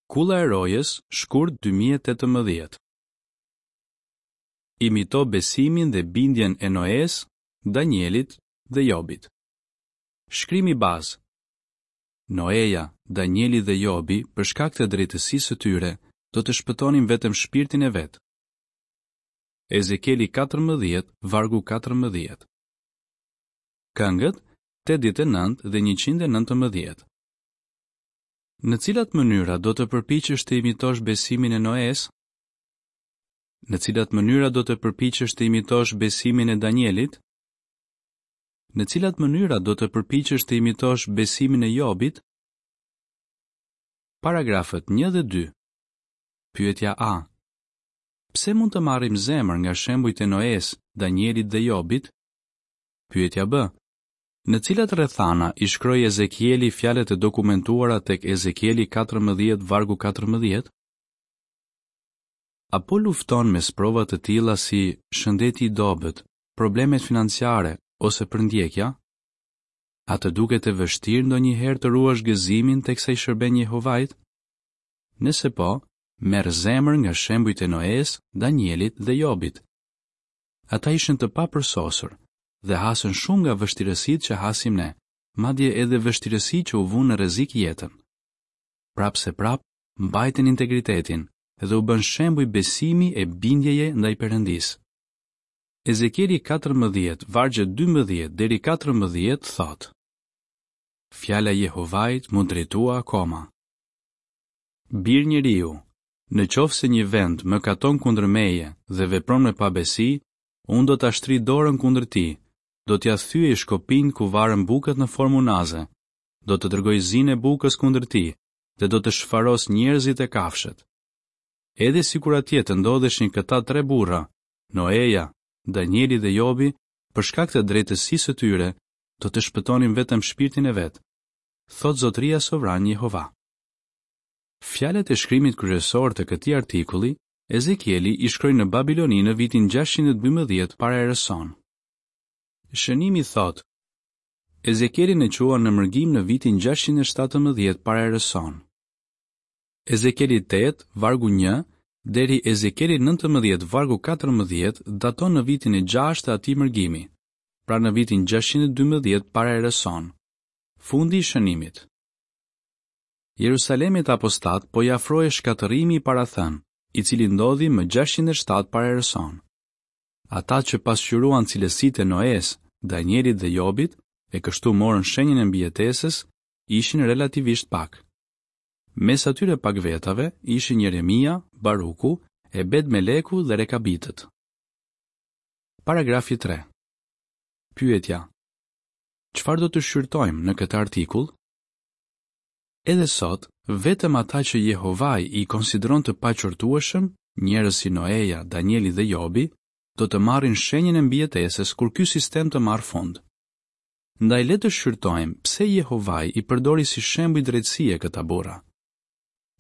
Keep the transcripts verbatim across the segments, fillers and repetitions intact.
Kulla e Rojës, shkurt dy mijë e tetëmbëdhjetë. Imito besimin dhe bindjen e Noes, Danielit dhe Jobit. Shkrimi bazë. Noeja, Danieli dhe Jobi, për shkak të drejtësisë së tyre, do të shpëtonin vetëm shpirtin e vet. Ezekieli katërmbëdhjetë, vargu katërmbëdhjetë. Këngët, tetëdhjetë e nëntë dhe njëqind e nëntëmbëdhjetë. Në cilat mënyra do të përpiqesh të imitosh besimin e Noes? Në cilat mënyra do të përpiqesh të imitosh besimin e Danielit? Në cilat mënyra do të përpiqesh të imitosh besimin e Jobit? Paragrafët një dhe dy. Pyetja A. Pse mund të marrim zemër nga shembujt e Noes, Danielit dhe Jobit? Pyetja B. Në cilat rrethana i shkroi Ezekieli fjalët e dokumentuara tek Ezekieli katërmbëdhjetë vargu katërmbëdhjetë? A po lufton me sprova të tilla si shëndeti i dobët, problemet financiare ose përndjekja? A të duket e vështirë ndonjëherë të ruash gëzimin teksa i shërben Jehovait? Nëse po, merr zemër nga shembujt e Noes, Danielit dhe Jobit. Ata ishin të papërsosur dhe hasën shumë nga vështirësitë që hasim ne, madje edhe vështirësi që u vunë në rrezik jetën. Prapë se prapë, mbajtën integritetin dhe u bën shembuj besimi e bindjeje ndaj Perëndisë. Ezekieli katërmbëdhjetë, vargjet dymbëdhjetë deri katërmbëdhjetë thotë: Fjala e Jehovait m'u drejtua akoma. Bir njeriu, në qoftë se një vend mëkaton kundër meje dhe vepron me pabesi, unë do ta shtrij dorën kundër tij, do t'ia thyej shkopinjtë ku varen bukët në formë unaze, do të dërgoj zinë e bukës kundër tij dhe do të shfaros njerëzit e kafshët. Edhe sikur atje të ndodheshin këta tre burra, Noeja, Danieli dhe Jobi, për shkak të drejtësisë së tyre, do të shpëtonin vetëm shpirtin e vet, thotë Zotëria Sovran Jehova. Fjalët e shkrimit kryesor të këtij artikulli, Ezekieli i shkroi në Babiloni në vitin gjashtëqind e dymbëdhjetë para erës sonë. Shënimi thotë, Ezekielin e quan në mërgim në vitin gjashtëqind e shtatëmbëdhjetë para erës sonë. Ezekieli tetë, vargu një, deri Ezekieli nëntëmbëdhjetë, vargu katërmbëdhjetë, daton në vitin e gjashtë të atij mërgimi, pra në vitin gjashtëqind e dymbëdhjetë para erës sonë. Fundi i shënimit. Jerusalemit apostat po i afrohej shkatërrimi i parathënë, i cili ndodhi më gjashtëqind e shtatë para erës sonë. Ata që pasqyruan cilësitë e Noes, Danielit dhe Jobit, e kështu morën shenjën e mbijetesës, ishin relativisht pak. Mes atyre pak vetave ishin Jeremia, Baruku, Ebed Meleku dhe Rekabitët. Paragrafi tre. Pyetja: Çfarë do të shqyrtojmë në këtë artikull? Edhe sot, vetëm ata që Jehovai i konsideron të paqortueshëm, njerëz si Noeja, Danieli dhe Jobi, do të marrin shenjën e mbijetesës kur ky sistem të marrë fund. Ndaj le të shqyrtojmë pse Jehovai i përdori si shembuj drejtësie këta burra.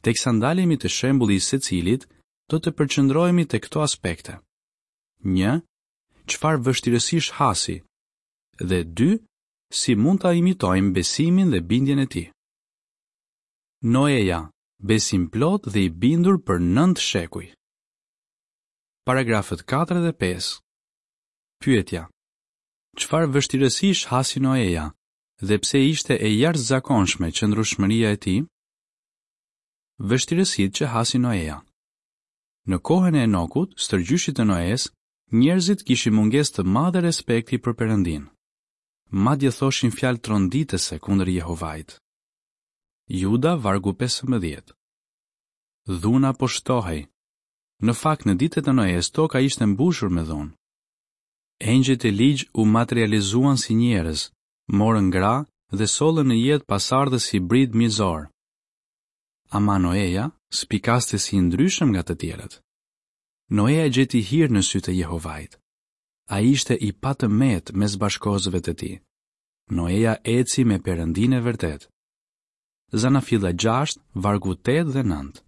Teksa ndalemi te shembulli i secilit, do të përqendrohemi te këto aspekte. Një, çfarë vështirësish hasi? Dhe dy, si mund ta imitojmë besimin dhe bindjen e tij? Noeja, besimplot dhe i bindur për nëntë shekuj. Paragrafët katër dhe pesë. Pyetja: Çfarë vështirësish hasi Noeja dhe pse ishte e jashtëzakonshme qëndrueshmëria e tij? Vështirësitë që hasi Noeja. Në kohën e Enokut, stërgjyshit të Noes, njerëzit kishin mungesë të madhe respekti për Perëndin. Madje thoshin fjalë tronditëse kundër Jehovait. Juda, vargu pesëmbëdhjetë. Dhuna po shtohej. Në fakt, në ditët e Noes, toka ishte mbushur me dhunë. Engjëjt e ligj u materializuan si njerëz, morën gra dhe sollën në jetë pasardhës hibrid mizor. Ama Noeja spikaste si i ndryshëm nga të tjerët. Noeja gjeti hir në sytë e Jehovait. Ai ishte i patëmet mes bashkohësve të tij. Noeja eci me Perëndinë e vërtetë. Zanafilla gjashtë, vargu tetë dhe nëntë.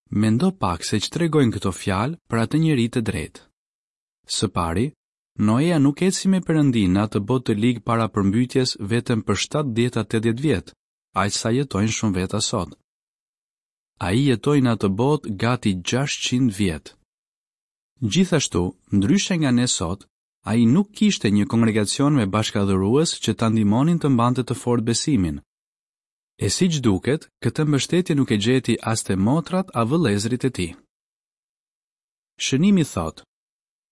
Mendo pak se ç'tregojnë këto fjalë për atë njeri të drejtë. Së pari, Noeja nuk eci me Perëndinë në atë botë të ligë para përmbytjes vetëm për shtatëdhjetë a tetëdhjetë vjet, aq sa jetojnë shumë veta sot. Ai jetoi në atë botë gati gjashtëqind vjet. Gjithashtu, ndryshe nga ne sot, ai nuk kishte një kongregacion me bashkadhurues që ta ndihmonin të mbante të fortë besimin. E siç duket, këtë mbështetje nuk e gjeti as te motrat a vëllezërit e tij. Shënimi thotë: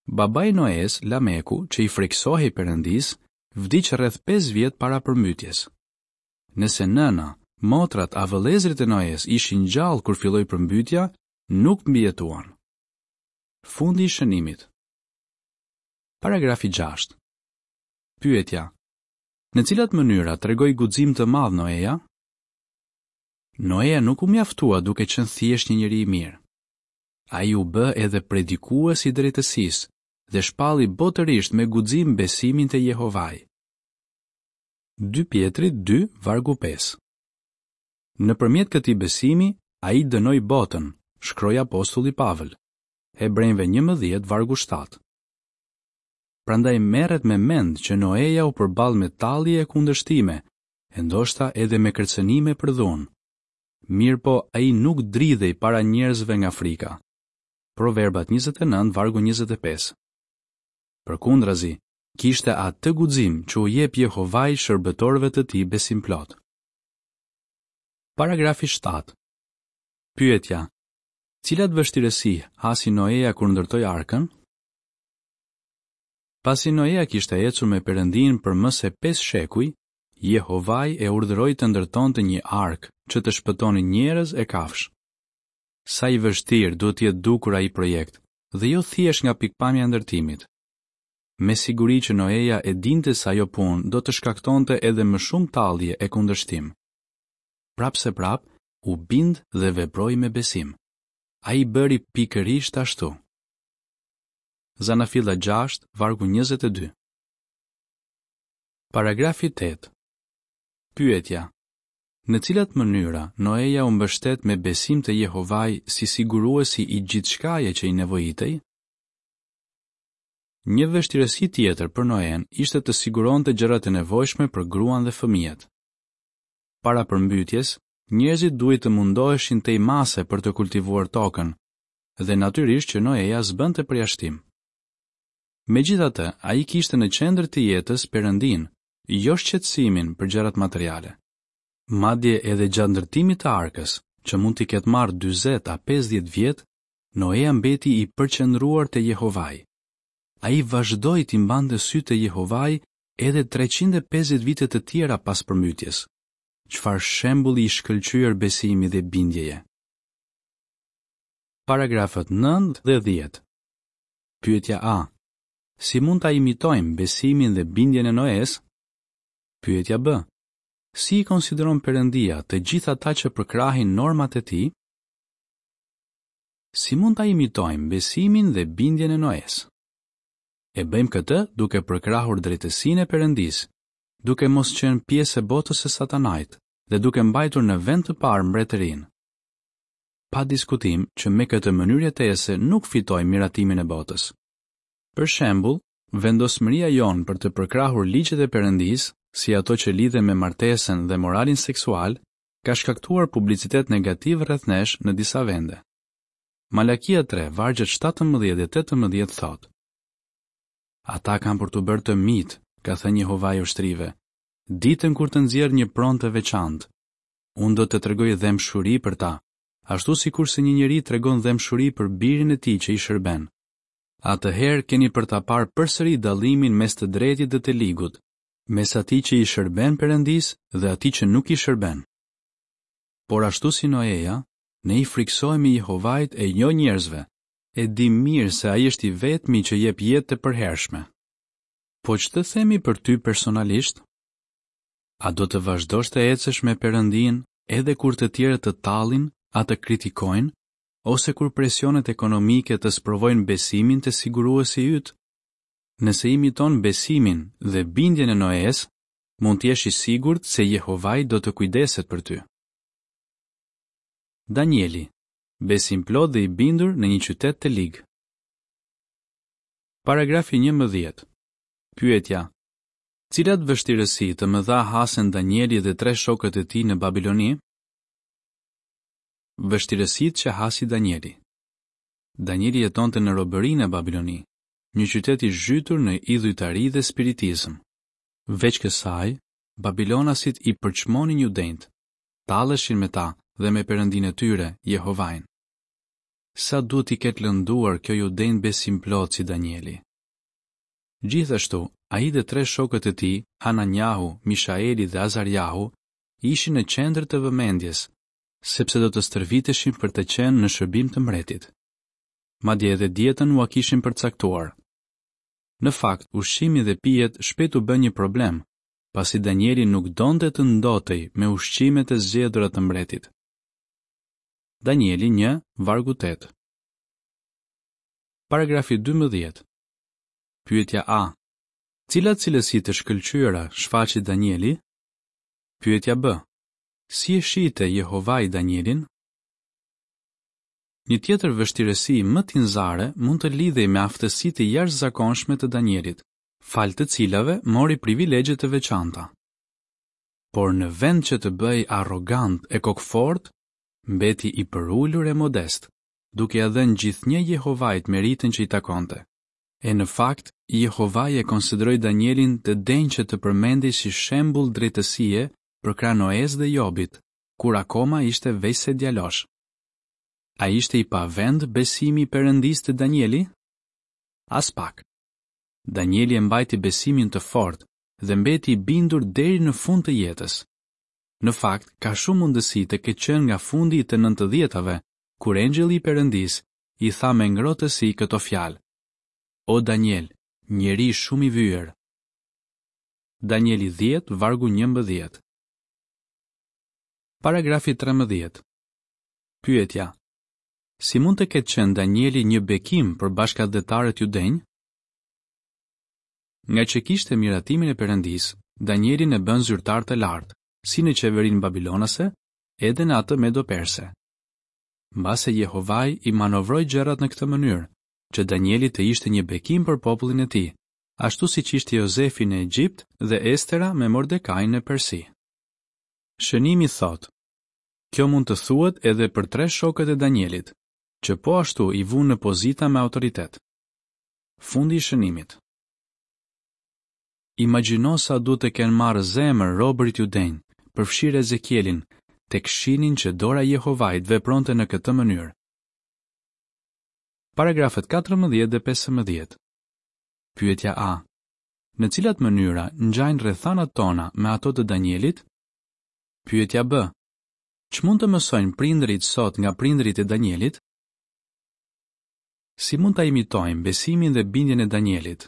Babai i Noes, Lameku, që i frikësohej Perëndisë, vdiq rreth pesë vjet para përmbytjes. Nëse nëna, motrat a vëllezërit e Noes ishin gjallë kur filloi përmbytja, nuk mbijetuan. Fundi i shënimit. Paragrafi gjashtë. Pyetja: Në cilat mënyra tregoi guxim të madh Noeja? Noeja nuk u mjaftua duke qenë thjesht një njeri i mirë. Ai u bë edhe predikues i drejtësisë dhe shpalli botërisht me guxim besimin te Jehovai. Dy Pjetrit dy, vargu pesë. Nëpërmjet këtij besimi, ai dënoi botën, shkroi apostulli Pavël. Hebrenjve njëmbëdhjetë, vargu shtatë. Prandaj merret me mend që Noeja u përball me tallje e kundërshtime, e ndoshta edhe me kërcënime për dhunë. Mirëpo, ai nuk dridhej para njerëzve nga frika. Proverbat njëzet e nëntë, vargu njëzet e pesë. Përkundrazi, kishte atë guxim që u jep Jehovai shërbëtorëve të tij besimplot. Paragrafi shtatë. Pyetja: Cilat vështirësi hasi Noeja kur ndërtoi arkën? Pasi Noeja kishte ecur me Perëndin për më se pesë shekuj, Jehovai e urdhëroi të ndërtonte një arkë që të shpëtonin njerëz e kafshë. Sa i vështirë duhet të jetë dukur ai projekt, dhe jo thjesht nga pikpamja e ndërtimit. Me siguri që Noeja e dinte se ajo punë do të shkaktonte edhe më shumë tallje e kundërshtim. Prapë se prapë, u bind dhe veproi me besim. Ai bëri pikërisht ashtu. Zanafilla gjashtë, vargu njëzet e dy. Paragrafi tetë. Pyetja: Në cilat mënyra Noeja u mbështet me besim të Jehovai si siguruesi i gjithçkaje që i nevojitej? Një vështirësi tjetër për Noen ishte të siguronte gjërat e nevojshme për gruan dhe fëmijët. Para përmbytjes, njerëzit duhej të mundoheshin tej mase për të kultivuar tokën, dhe natyrisht që Noeja s'bënte përjashtim. Megjithatë, ai kishte në qendër të jetës Perëndin, jo shqetësimin për gjërat materiale. Madje edhe gjatë ndërtimit të arkës, që mund t'i ketë marrë dyzet a pesëdhjetë vjet, Noeja mbeti i përqendruar te Jehovai. Ai vazhdoi t'i mbante sytë te Jehovai edhe treqind e pesëdhjetë vite të tjera pas përmbytjes. Çfarë shembulli i shkëlqyer besimi dhe bindjeje. Paragrafët nëntë dhe dhjetë. Pyetja A. Si mund ta imitojmë besimin dhe bindjen e Noes? Pyetja B. Si i konsideron Perëndia të gjithë ata që përkrahin normat e tij? Si mund ta imitojmë besimin dhe bindjen e Noes? E bëjmë këtë duke përkrahur drejtësinë e Perëndisë, duke mos qenë pjesë e botës së Satanait dhe duke mbajtur në vend të parë mbretërinë. Pa diskutim që me këtë mënyrë jetese nuk fitojmë miratimin e botës. Për shembull, vendosmëria jonë për të përkrahur ligjet e Perëndisë, si ato që lidhen me martesën dhe moralin seksual, ka shkaktuar publicitet negativ rreth nesh në disa vende. Malakia tre, vargjet shtatëmbëdhjetë dhe tetëmbëdhjetë thotë: Ata kanë për t'u bërë të mitë, ka thënë Jehovai ushtrive, ditën kur të nxjerr një pronë të veçantë. Unë do të tregoj dhembshuri për ta, ashtu sikurse një njeri tregon dhembshuri për birin e tij që i shërben. Atëherë keni për ta parë përsëri dallimin mes të drejtit dhe të ligut, mes atij që i shërben Perëndisë dhe atij që nuk i shërben. Por ashtu si Noeja, ne i frikësohemi Jehovait e jo njerëzve, e di mirë se ai është i vetmi që jep jetë të përhershme. Po ç'të themi për ty personalisht? A do të vazhdosh të ecësh me Perëndin edhe kur të tjerët të tallin, a të kritikojnë, ose kur presionet ekonomike të sprovojnë besimin te siguruesi yt? Nëse imiton besimin dhe bindjen e Noes, mund të jesh i sigurt se Jehovai do të kujdeset për ty. Danieli, besimplot dhe i bindur në një qytet të lig. Paragrafi njëmbëdhjetë. Pyetja: Cilat vështirësi të mëdha hasen Danieli dhe tre shokët e tij në Babiloni? Vështirësitë që hasi Danieli. Danieli jetonte në robëri në Babiloni, një qytet i zhytur në idhujtari dhe spiritizëm. Veç kësaj, babilonasit i përçmonin judenjtë, talleshin me ta dhe me Perëndinë e tyre, Jehovain. Sa duhet t'i ketë lënduar kjo judenjtë besimplotë si Danieli. Gjithashtu, ai dhe tre shokët e tij, Hananjahu, Mishaeli dhe Azarjahu, ishin në qendër të vëmendjes, sepse do të stërviteshin për të qenë në shërbim të mbretit. Madje edhe dietën ua kishin përcaktuar. Në fakt, ushqimi dhe pijet shpejt u bën një problem, pasi Danieli nuk donte të ndotej me ushqimet e zgjedhura të mbretit. Danieli një, vargu tetë. Paragrafi dymbëdhjetë. Pyetja A. Cilat cilësi të shkëlqyera shfaqi Danieli? Pyetja B. Si e shihte Jehovai Danielin? Një tjetër vështirësi më tinzare mund të lidhej me aftësitë e jashtëzakonshme të Danielit, falë të cilave mori privilegje të veçanta. Por në vend që të bëhej arrogant e kokëfort, mbeti i përulur e modest, duke ia dhënë gjithnjë Jehovait meritën që i takonte. E në fakt, Jehovai e konsideroi Danielin të denjë që të përmendej si shembull drejtësie përkrah Noes dhe Jobit, kur akoma ishte veçse djalosh. A ishte i pavend besimi i Perëndisë te Danieli? Aspak. Danieli e mbajti besimin të fortë dhe mbeti i bindur deri në fund të jetës. Në fakt, ka shumë mundësi të ketë qenë nga fundi i të nëntëdhjetave, kur engjëlli i Perëndisë i tha me ngrohtësi këto fjalë: O Daniel, njeri shumë i vyer. Danieli dhjetë, vargu njëmbëdhjetë. Paragrafi trembëdhjetë. Pyetja: Si mund të ketë qenë Danieli një bekim për bashkatdhetarët judenj? Nga që kishte miratimin e Perëndisë, Danielin e bën zyrtar të lartë, si në qeverinë babilonase, edhe në atë medo-perse. Mbase Jehovai i manovroi gjërat në këtë mënyrë, që Danieli të ishte një bekim për popullin e tij, ashtu siç ishte Jozefi në Egjipt dhe Estera me Mordekain në Persi. Shënimi thotë: Kjo mund të thuhet edhe për tre shokët e Danielit, që po ashtu i vunë në pozita me autoritet. Fundi i shënimit. Imagjino sa duhet të kenë marrë zemër robërit judenj, përfshirë Ezekielin, tek shihnin që dora e Jehovait vepronte në këtë mënyrë. Paragrafët katërmbëdhjetë dhe pesëmbëdhjetë. Pyetja A. Në cilat mënyra ngjajnë rrethanat tona me ato të Danielit? Pyetja B. Ç'mund të mësojnë prindërit sot nga prindërit e Danielit? Si mund ta imitojmë besimin dhe bindjen e Danielit?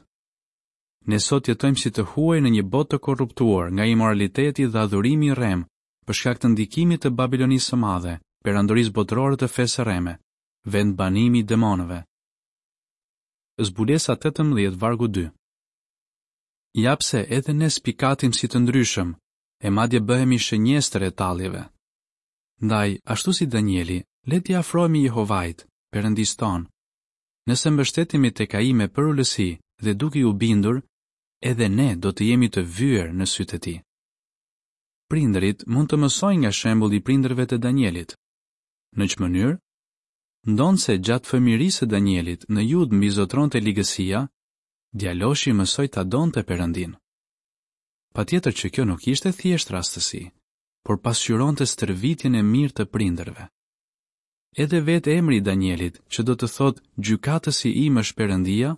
Ne sot jetojmë si të huaj në një botë të korruptuar nga imoraliteti dhe adhurimi i rremë, për shkak të ndikimit të Babilonisë së Madhe, perandorisë botërore të fesë së rreme, vendbanimi i demonëve. Zbulesa tetëmbëdhjetë vargu dy. Ja pse edhe ne spikatim si të ndryshëm, e madje bëhemi shënjestër e talljeve. Ndaj, ashtu si Danieli, le t'i afrohemi Jehovait, Perëndisë tonë. Nëse mbështetemi tek ai me përulësi dhe duke iu bindur, edhe ne do të jemi të vyer në sytë e tij. Prindërit mund të mësojnë nga shembulli i prindërve të Danielit. Në ç'mënyrë? Ndonëse gjatë fëmijërisë së Danielit në Judë mbizotëronte ligësia, djaloshi mësoi ta donte Perëndinë. Patjetër që kjo nuk ishte thjesht rastësi, por pasqyronte stërvitjen e mirë të prindërve. Edhe vetë emri i Danielit, që do të thotë gjykatësi im është Perëndia,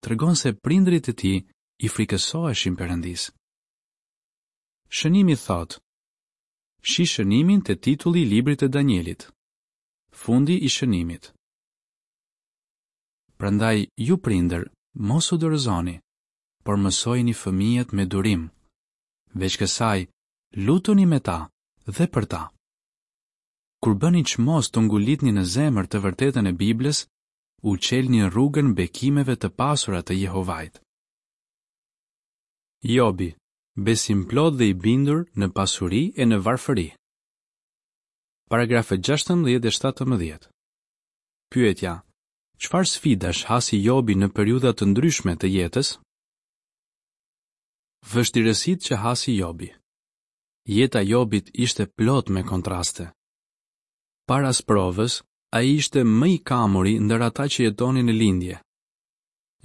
tregon se prindërit e tij i frikësoheshin Perëndisë. Shënimi thotë: Shih shënimin te titulli i librit të Danielit. Fundi i shënimit. Prandaj ju prindër, mos u dorëzoni, por mësojini fëmijët me durim. Veç kësaj, lutuni me ta dhe për ta. Kur bëni çmos të ngulitni në zemër të vërtetën e Biblës, u çelni rrugën bekimeve të pasura të Jehovait. Jobi, besimplot dhe i bindur në pasuri e në varfëri. Paragrafët gjashtëmbëdhjetë dhe shtatëmbëdhjetë. Pyetja: Çfarë sfidash hasi Jobi në periudha të ndryshme të jetës? Vështirësitë që hasi Jobi. Jeta e Jobit ishte plot me kontraste. Para sprovës, ai ishte më i kamuri ndër ata që jetonin në lindje.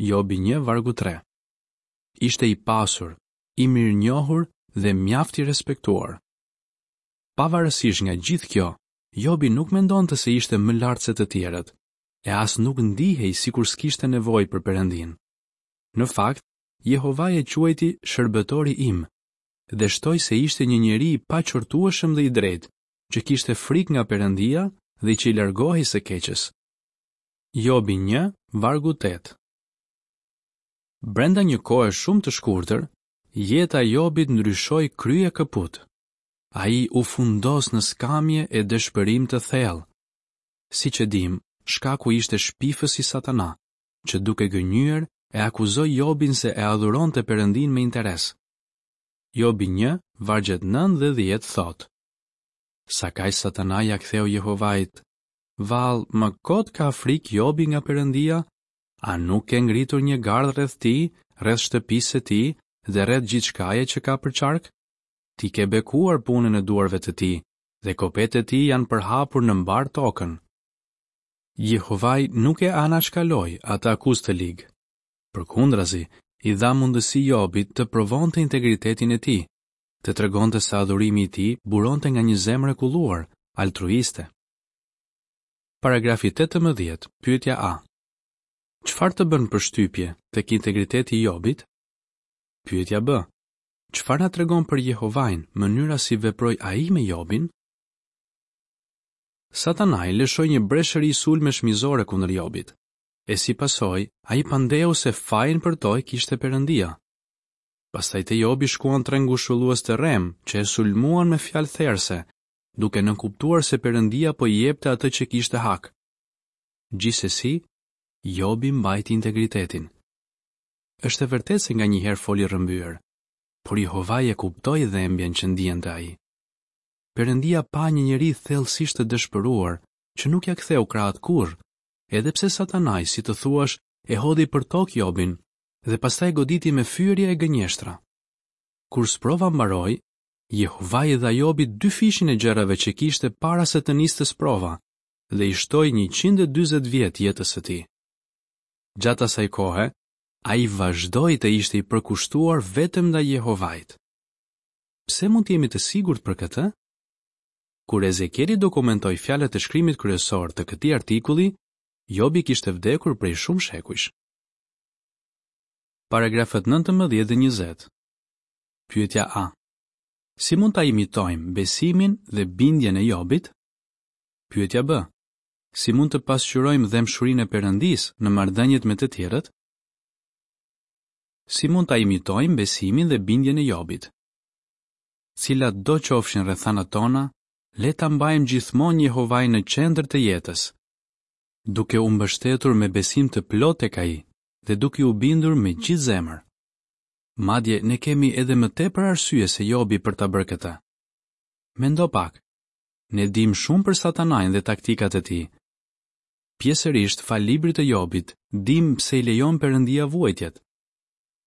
Jobi një vargu tre. Ishte i pasur, i mirënjohur dhe mjaft i respektuar. Pavarësisht nga gjithë kjo, Jobi nuk mendonte se ishte më lart se të tjerët, e as nuk ndihej sikur s'kishte nevojë për Perëndinë. Në fakt, Jehovai e quajti shërbëtori im dhe shtoi se ishte një njeri i paqortueshëm dhe i drejtë, që kishte frikë nga Perëndia dhe që i largohej së keqes. Jobi një, vargu tetë. Brenda një kohe shumë të shkurtër, jeta e Jobit ndryshoi krye këput. Ai u fundos në skamje e dëshpërim të thellë. Siç e dim, shkaku ishte shpifësi Satana, që duke gënjyer e akuzoi Jobin se e adhuronte Perëndinë me interes. Jobi një, vargjet nëntë dhe dhjetë thotë: Sakaq Satana ia ktheu Jehovait: Vallë, më kot ka frikë Jobi nga Perëndia? A nuk ke ngritur një gardh rreth tij, rreth shtëpisë së tij dhe rreth gjithçkaje që ka përqark? Ti ke bekuar punën e duarve të tij dhe kopetë e tij janë përhapur në mbar tokën. Jehovai nuk e anashkaloi atë akuzë të ligë. Përkundrazi, i dha mundësi Jobit të provonte integritetin e tij, të tregonte se adhurimi i tij buronte nga një zemër e kulluar, altruiste. Paragrafi tetëmbëdhjetë, pyetja A. Çfarë të bën përshtypje tek integriteti i Jobit? Pyetja B. Çfarë na tregon për Jehovain mënyra si veproi ai me Jobin? Satanai lëshoi një breshëri sulmesh mizore kundër Jobit. E si pasojë, ai pandeu se fajin për to e kishte Perëndia. Pastaj te Jobi shkuan tre ngushëllues të rrem që e sulmuan me fjalë therse, duke nënkuptuar se Perëndia po i jepte atë që kishte hak. Gjithsesi, Jobi mbajti integritetin. Është e vërtetë se nganjëherë foli rrëmbyer, por Jehovai e kuptoi dhembjen që ndiente ai. Perëndia pa një njeri thellësisht të dëshpëruar, që nuk ia ktheu krahët kurrë, edhe pse Satanai, si të thuash, e hodhi për tokë Jobin dhe pastaj goditi me fyerje e gënjeshtra. Kur sprova mbaroi, Jehovai i dha Jobit dyfishin e gjërave që kishte para se të niste sprova dhe i shtoi njëqind e dyzet vjet jetës së tij. Gjatë asaj kohe, ai vazhdoi të ishte i përkushtuar vetëm ndaj Jehovait. Pse mund të jemi të sigurt për këtë? Kur Ezekieli dokumentoi fjalët e shkrimit kryesor të këtij artikulli, Jobi kishte vdekur prej shumë shekujsh. Paragrafët nëntëmbëdhjetë dhe njëzet. Pyetja A. Si mund ta imitojmë besimin dhe bindjen e Jobit? Pyetja B. Si mund të pasqyrojmë dhembshurinë e Perëndisë në marrëdhëniet me të tjerët? Si mund ta imitojmë besimin dhe bindjen e Jobit? Cilat do qofshin rrethanat tona, le ta mbajmë gjithmonë Jehovain në qendër të jetës, duke u mbështetur me besim të plotë tek ai dhe duke u bindur me gjithë zemër. Madje ne kemi edhe më tepër arsye se Jobi për ta bërë këtë. Mendo pak. Ne dim shumë për Satanain dhe taktikat e tij. Pjesërisht fal librit të Jobit, dim pse i lejon Perëndia vuajtjet.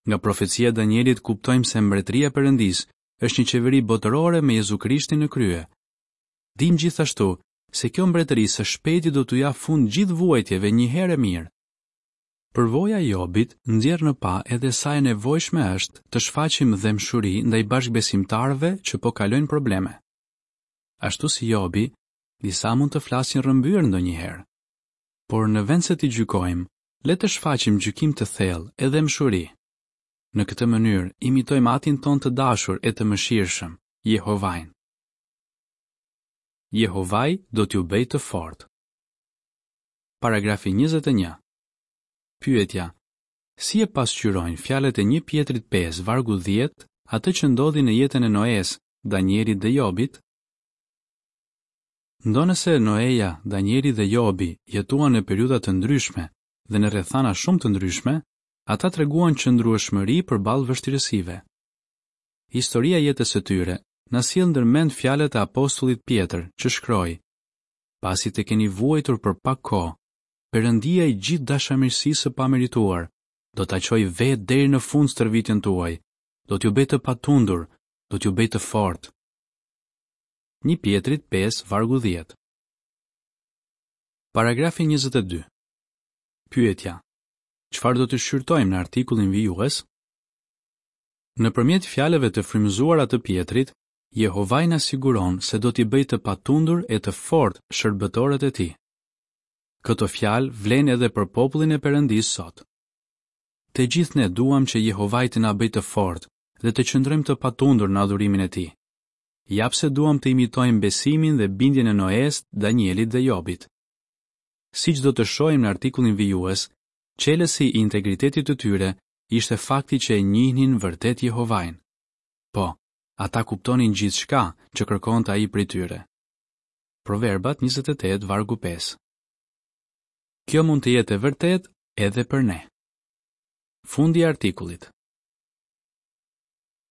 Nga profecia e Danielit kuptojmë se mbretëria e Perëndisë është një qeveri botërore me Jezu Krishtin në krye. Dim gjithashtu se kjo mbretëri së shpejti do t'u japë fund gjithë vuajtjeve një herë e mirë. Përvoja e Jobit nxjerr në pa edhe sa e nevojshme është të shfaqim dhembshuri ndaj bashkëbesimtarëve që po kalojnë probleme. Ashtu si Jobi, disa mund të flasin rrëmbyer ndonjëherë. Por në vend se t'i gjykojmë, le të shfaqim gjykim të thellë e dhembshuri. Në këtë mënyrë imitojmë Atin ton të dashur e të mëshirshëm, Jehovain. Jehovai do t'ju bëjë të fortë. Paragrafi njëzet e një. Pyetja: Si e pasqyrojnë fjalët e një Pjetrit pesë vargu dhjetë atë që ndodhi në jetën e Noes, Danielit dhe Jobit? Ndonëse Noeja, Danieli dhe Jobi jetuan në periudha të ndryshme dhe në rrethana shumë të ndryshme, ata treguan qëndrueshmëri përballë vështirësive. Historia e jetës së tyre na sjell ndërmend fjalët e apostullit Pjetër, që shkroi: Pasi të keni vuajtur për pak kohë, Perëndia i gjithë dashamirësisë së pamerituar do ta çojë vetë deri në fund stërvitjen tuaj, do t'ju bëjë të patundur, do t'ju bëjë të fortë. Një Pjetrit pesë vargu dhjetë. Paragrafi njëzet e dy. Pyetja: Çfarë do të shqyrtojmë në artikullin vijues? Nëpërmjet fjalëve të frymëzuara të Pjetrit, Jehovai na siguron se do t'i bëjë të patundur e të fortë shërbëtorët e tij. Këto fjalë vlejnë edhe për popullin e Perëndisë sot. Të gjithë ne duam që Jehovai të na bëjë të fortë dhe të qëndrojmë të patundur në adhurimin e tij. Ja pse duam të imitojmë besimin dhe bindjen e Noes, Danielit dhe Jobit. Siç do të shohim në artikullin vijues, çelësi i integritetit të tyre ishte fakti që e njihnin vërtet Jehovain. Po, ata kuptonin gjithçka që kërkonte ai prej tyre. Proverbat njëzet e tetë, vargu pesë. Kjo mund të jetë e vërtetë edhe për ne. Fundi i artikullit.